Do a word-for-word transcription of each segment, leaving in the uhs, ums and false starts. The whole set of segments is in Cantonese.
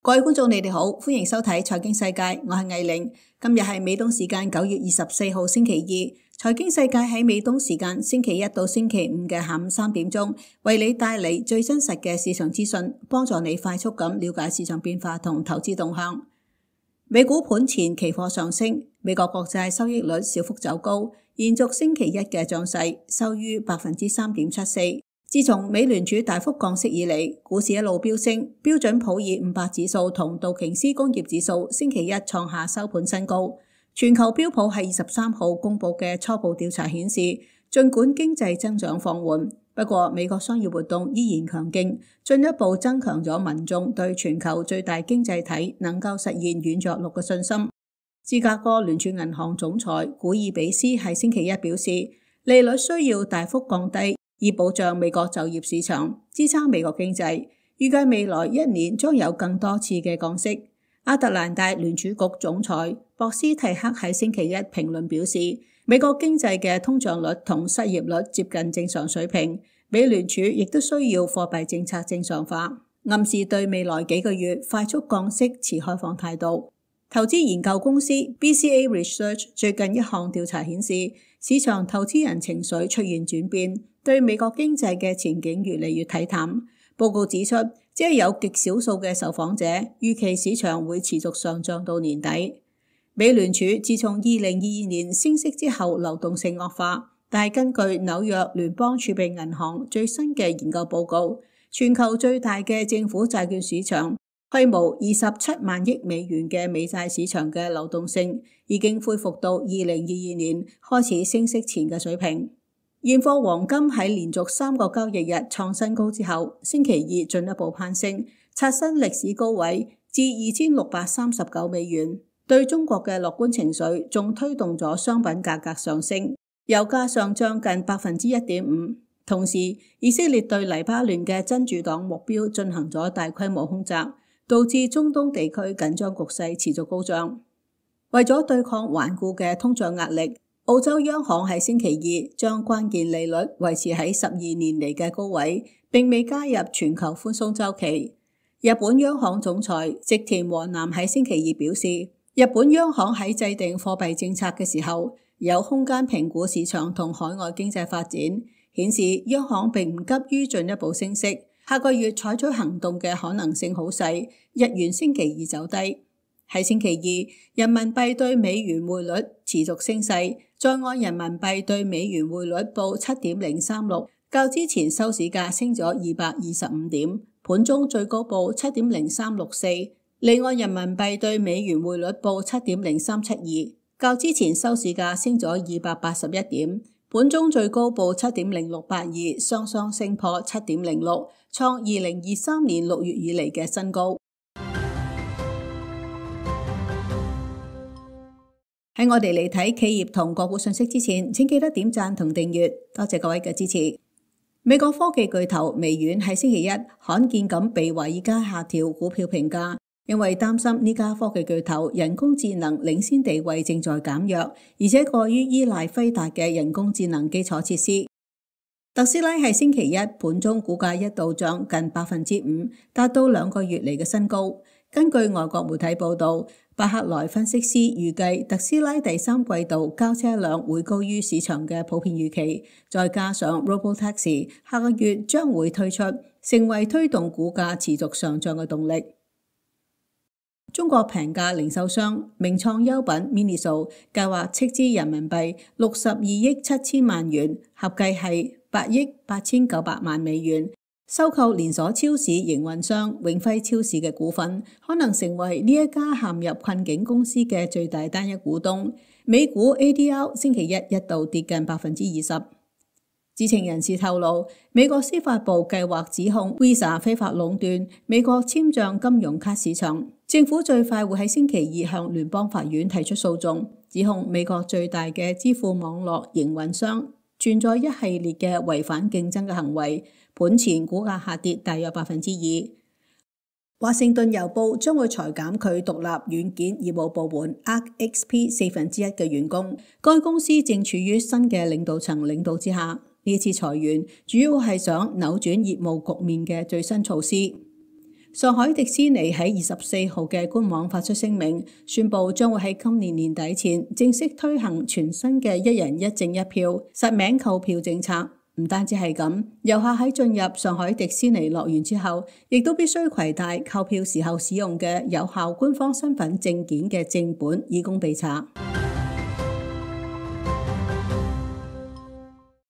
各位觀眾，你哋好，歡迎收睇財經世界，我係藝玲。今日係美東時間九月二十四號星期二，財經世界喺美東時間星期一到星期五嘅下午三點鐘，為你帶嚟最真實嘅市場資訊，幫助你快速咁了解市場變化同投資動向。美股盤前期貨上升，美國國債收益率小幅走高，延續星期一嘅漲勢，收於百分之三點七四。自從美聯儲大幅降息以嚟，股市一路飆升，標準普爾五百指數同道瓊斯工業指數星期一創下收盤新高。全球標普喺二十三號公佈嘅初步調查顯示，儘管經濟增長放緩，不過美國商業活動依然強勁，進一步增強咗民眾對全球最大經濟體能夠實現軟着陸嘅信心。芝加哥聯儲銀行總裁古爾比斯喺星期一表示，利率需要大幅降低，以保障美國就業市場，支撐美國經濟。預計未來一年將有更多次嘅降息。亞特蘭大聯儲局總裁博斯蒂克喺星期一評論表示，美國經濟嘅通脹率同失業率接近正常水平，美聯儲亦都需要貨幣政策正常化，暗示對未來幾個月快速降息持開放態度。投資研究公司 B C A Research 最近一項調查顯示，市場投資人情緒出現轉變，對美國經濟嘅前景越嚟越睇淡。報告指出，只係有極少數嘅受訪者預期市場會持續上漲到年底。美聯儲自從二零二二年升息之後，流動性惡化，但係根據紐約聯邦儲備銀行最新嘅研究報告，全球最大嘅政府債券市場規模二十七萬億美元嘅美債市場嘅流動性已經恢復到二零二二年開始升息前嘅水平。現貨黃金喺連續三個交易日創新高之後，星期二進一步攀升，刷新歷史高位至二千六百三十九美元。對中國嘅樂觀情緒仲推動咗商品價格上升，油價上漲近百分之一點五。同時，以色列對黎巴嫩嘅真主黨目標進行咗大規模空襲，導致中東地區緊張局勢持續高漲。為咗對抗頑固嘅通脹壓力，澳洲央行喺星期二將關鍵利率維持喺十二年嚟嘅高位，並未加入全球寬鬆週期。日本央行總裁植田和男喺星期二表示，日本央行喺制定貨幣政策嘅時候，有空間評估市場同海外經濟發展，顯示央行並唔急於進一步升息。下個月採取行動嘅可能性好細。日元星期二走低。喺星期二，人民幣對美元匯率持續升勢，在岸人民幣對美元匯率報七點零三六，較之前收市價升咗二百二十五點，盤中最高報七點零三六四。離岸人民幣對美元匯率報七點零三七二，較之前收市價升咗二百八十一點，盤中最高報七點零六八二，雙雙升破七點零六，創二零二三年六月以嚟嘅新高。喺我哋嚟睇企業同個股信息之前，請記得點讚同訂閱，多謝各位嘅支持。美國科技巨頭微軟喺星期一罕見咁被華爾街下調股票評價，因為擔心呢家科技巨頭人工智能領先地位正在減弱，而且過於依賴輝達嘅人工智能基礎設施。特斯拉喺星期一盤中股價一度漲近百分之五，達到兩個月嚟嘅新高。根據外國媒體報道，巴克萊分析師預計特斯拉第三季度交車量會高於市場嘅普遍預期，再加上 Robotaxi 下個月將會推出，成為推動股價持續上漲嘅動力。中國平價零售商名創優品 Miniso 計劃斥資人民幣六十二億七千萬元，合計係八億八千九百萬美元，收購連鎖超市營運商永輝超市嘅股份，可能成為呢一家陷入困境公司嘅最大單一股東。美股 A D R 星期一一度跌近百分之二十。知情人士透露，美國司法部計劃指控 Visa 非法壟斷美國簽賬金融卡市場。政府最快會喺星期二向聯邦法院提出訴訟，指控美國最大嘅支付網絡營運商存在一系列嘅違反競爭嘅行為。盤前股價下跌大約百分之二。華盛頓郵報將會裁減佢獨立軟件業務部門 Arc X P 四分之一嘅員工。該公司正處於新嘅領導層領導之下，呢次裁員主要係想扭轉業務局面嘅最新措施。上海迪士尼喺二十四號嘅官網發出聲明，宣布將會喺今年年底前正式推行全新嘅一人一證一票實名購票政策。唔單止係咁，遊客喺進入上海迪士尼樂園之後，亦都必須攜帶購票時候使用嘅有效官方身份證件嘅正本，以供備查。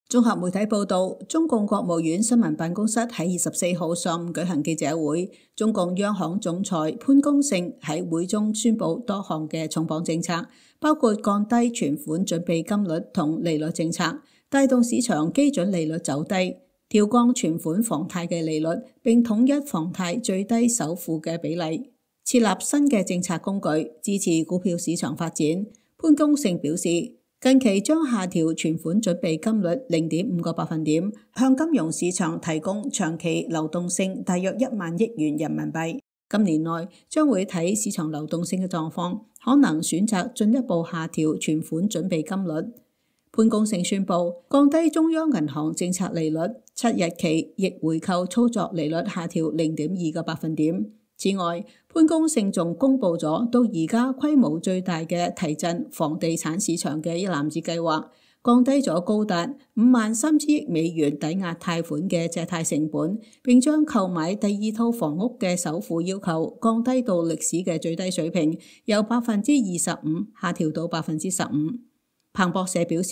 綜合媒體報道，中共國務院新聞辦公室喺二十四號上午舉行記者會，中共央行總裁潘功勝喺會中宣布多項嘅重磅政策，包括降低存款準備金率同利率政策，帶動市場基準利率走低，調降存款房貸嘅利率，並統一房貸最低首付嘅比例，設立新嘅政策工具，支持股票市場發展。潘功勝表示，近期將下調存款準備金率零點五個百分點，向金融市場提供長期流動性大約一萬億元人民幣。今年內將會睇市場流動性嘅狀況，可能選擇進一步下調存款準備金率。潘功勝宣布降低中央銀行政策利率，七日期逆回購操作利率下調零點二個百分點。此外，潘功勝仲公布咗到而家規模最大嘅提振房地產市場嘅一籃子計劃，降低咗高達五萬三千億美元抵押貸款嘅借貸成本，並將購買第二套房屋嘅首付要求降低到歷史嘅最低水平，由百分之二十五下調到百分之十五。彭博社表示，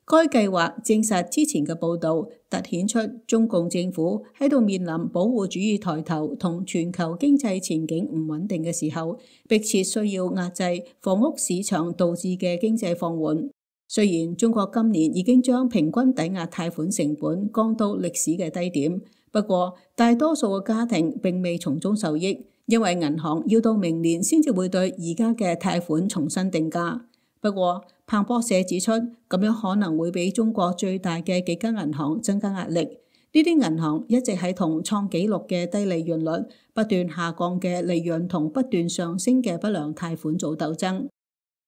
該計劃證實之前嘅報導，凸顯出中共政府喺度面臨保護主義抬頭同全球經濟前景唔穩定嘅時候，迫切需要壓制房屋市場導致嘅經濟放緩。雖然中國今年已經將平均抵押貸款成本降到歷史嘅低點，不過大多數嘅家庭並未從中受益，因為銀行要到明年先至會對而家嘅貸款重新定價。不過，彭博社指出，咁樣可能會俾中國最大嘅幾間銀行增加壓力。呢啲銀行一直喺同創紀錄嘅低利潤率、不斷下降嘅利潤同不斷上升嘅不良貸款做鬥爭。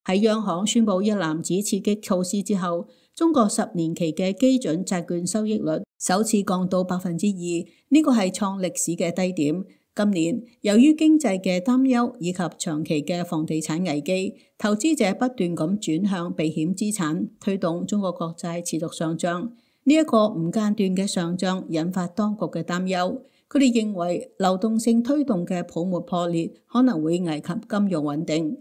喺央行宣布一籃子刺激措施之後，中國十年期嘅基準債券收益率首次降到百分之二，呢個係創歷史嘅低點。今年由於經濟嘅擔憂以及長期嘅房地產危機，投資者不斷咁轉向避險資產，推動中國國債持續上漲。呢、這、一個唔間斷嘅上漲引發當局嘅擔憂，佢哋認為流動性推動嘅泡沫破裂可能會危及金融穩定。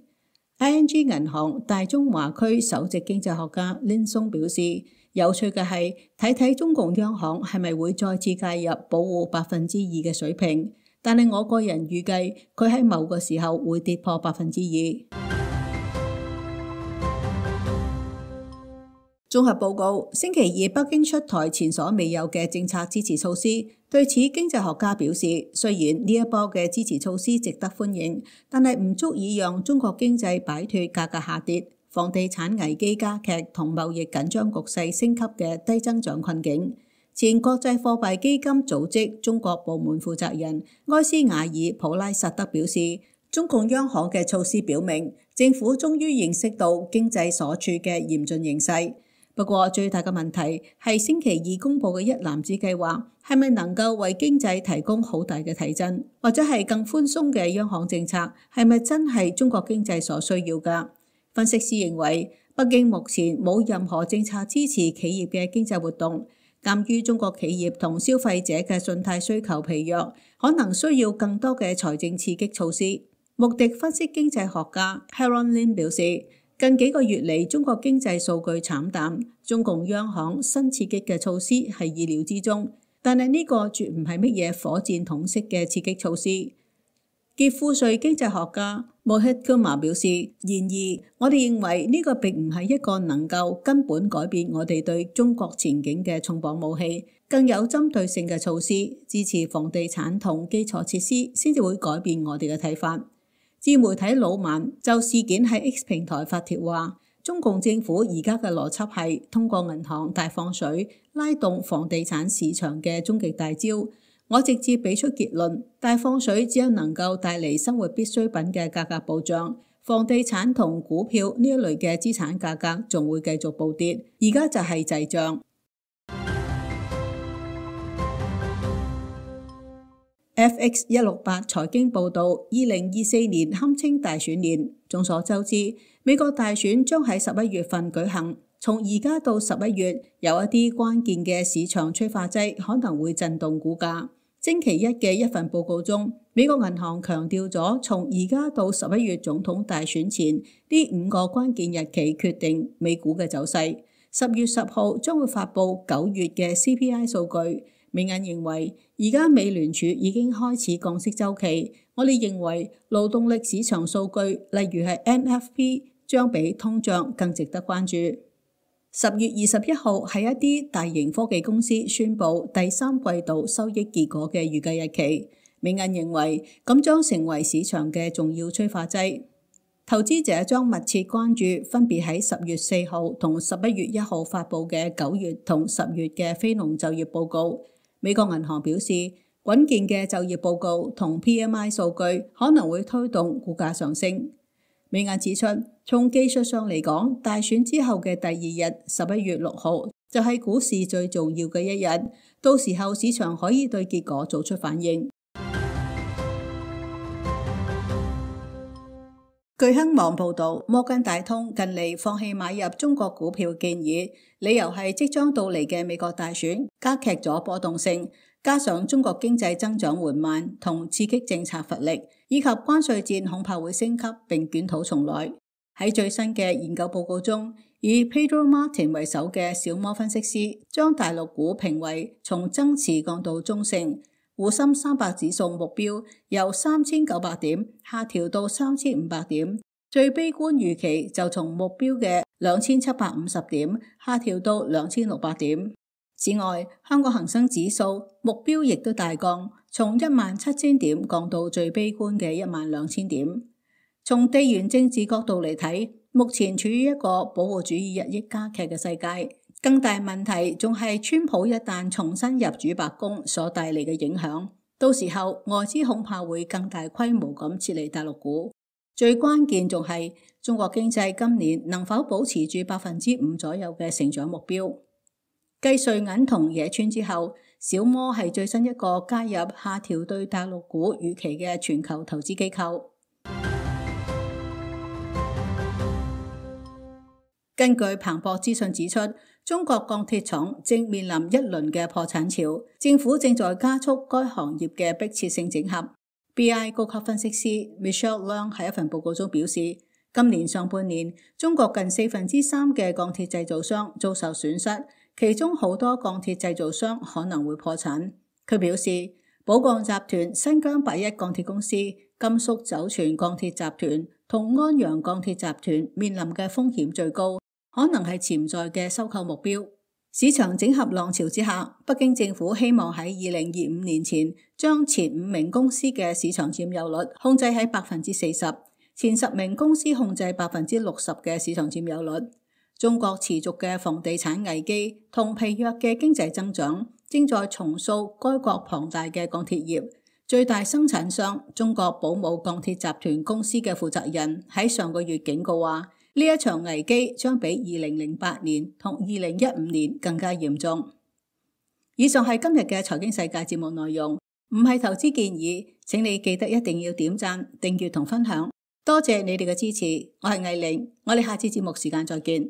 I N G 銀行大中華區首席經濟學家林松表示，有趣嘅係睇睇中共央行係咪會再次介入保護百分之二嘅水平。但係我個人預計佢喺某個時候會跌破百分之二。綜合報告，星期二北京出台前所未有嘅政策支持措施。對此，經濟學家表示，雖然呢一波嘅支持措施值得歡迎，但係唔足以讓中國經濟擺脫價格下跌、房地產危機加劇同貿易緊張局勢升級嘅低增長困境。前國際貨幣基金組織中國部門負責人埃斯瓦爾普拉薩德表示，中共央行嘅措施表明，政府終於認識到經濟所處嘅嚴峻形勢。不過最大嘅問題係星期二公布嘅一籃子計劃係咪能夠為經濟提供好大嘅提振，或者係更寬鬆嘅央行政策係咪真係中國經濟所需要㗎？分析師認為，北京目前冇任何政策支持企業嘅經濟活動。鑑於中國企業同消費者嘅信貸需求疲弱，可能需要更多嘅財政刺激措施。穆迪分析經濟學家 Haron Lin 表示，近幾個月嚟中國經濟數據慘淡，中共央行新刺激嘅措施係意料之中，但係呢個絕唔係乜嘢火箭筒式嘅刺激措施。傑富瑞經濟學家 Mohit Kumar 表示，然而我哋認為呢個並唔係一個能夠根本改變我哋對中國前景嘅重磅武器，更有針對性嘅措施支持房地產同基礎設施，先至會改變我哋嘅睇法。自媒體老萬就事件喺 X 平台發帖話，中共政府而家嘅邏輯係通過銀行大放水拉動房地產市場嘅終極大招。我直接俾出結論，大放水只有能夠帶嚟生活必需品嘅價格暴漲，房地產同股票呢一類嘅資產價格仲會繼續暴跌。而家就係滯脹。F X 一六八財經報道，二零二四年堪稱大選年。眾所周知，美國大選將喺十一月份舉行。從而家到十一月，有一啲關鍵嘅市場催化劑可能會震動股價。星期一嘅一份報告中，美國銀行強調咗，從而家到十一月總統大選前呢五個關鍵日期決定美股嘅走勢。十月十號將會發布九月嘅 C P I 數據。美銀認為，而家美聯儲已經開始降息週期。我哋認為勞動力市場數據，例如係 N F P，將比通脹更值得關注。十月二十一號係一啲大型科技公司宣布第三季度收益結果嘅預計日期。美銀認為咁將成為市場嘅重要催化劑。投資者將密切關注分別喺十月四號同十一月一號發布嘅九月同十月嘅非農就業報告。美國銀行表示，穩健嘅就業報告同 P M I 數據可能會推動股價上升。美銀指出，從技術上嚟講，大選之後嘅第二日，十一月六號就係股市最重要嘅一日，到時候市場可以對結果做出反應。據亨網報導，摩根大通近嚟放棄買入中國股票建議，理由係即將到嚟嘅美國大選加劇咗波動性，加上中國經濟增長緩慢同刺激政策乏力，以及關稅戰恐怕會升級並捲土重來。喺最新嘅研究報告中，以 Pedro Martin 為首嘅小摩分析師將大陸股評為從增持降到中性。滬深三百指數目標由三千九百點下調到三千五百點，最悲觀預期就從目標嘅兩千七百五十點下調到兩千六百點。此外，香港恒生指數目標亦都大降，從一萬七千點降到最悲觀嘅一萬兩千點。從地緣政治角度嚟睇，目前處於一個保護主義日益加劇嘅世界。更大問題仲係川普一旦重新入主白宮所帶嚟嘅影響，到時候外資恐怕會更大規模咁撤離大陸股。最關鍵仲係中國經濟今年能否保持住百分之五左右嘅成長目標。繼瑞銀同野村之後，小摩係最新一個加入下調對大陸股預期嘅全球投資機構。根據彭博資訊指出，中國鋼鐵廠正面臨一輪嘅破產潮，政府正在加速該行業嘅迫切性整合。B I 高級分析師 Michelle Leung 喺一份報告中表示，今年上半年中國近四分之三嘅鋼鐵製造商遭受損失，其中好多鋼鐵製造商可能會破產。佢表示，寶鋼集團、新疆八一鋼鐵公司、甘肅酒泉鋼鐵集團同安陽鋼鐵集團面臨嘅風險最高，可能係潛在嘅收購目標。市場整合浪潮之下，北京政府希望喺二零二五年前將前五名公司嘅市場佔有率控制喺百分之四十，前十名公司控制百分之六十嘅市場佔有率。中國持續嘅房地產危機同疲弱嘅經濟增長，正在重塑該國龐大嘅鋼鐵業。最大生產商中國寶武鋼鐵集團公司嘅負責人喺上個月警告話，呢一場危機將比二零零八年同二零一五年更加嚴重。以上係今日嘅財經世界節目內容，唔係投資建議，請你記得一定要點讚、訂閱同分享。多謝你哋嘅支持，我係藝玲，我哋下次節目時間再見。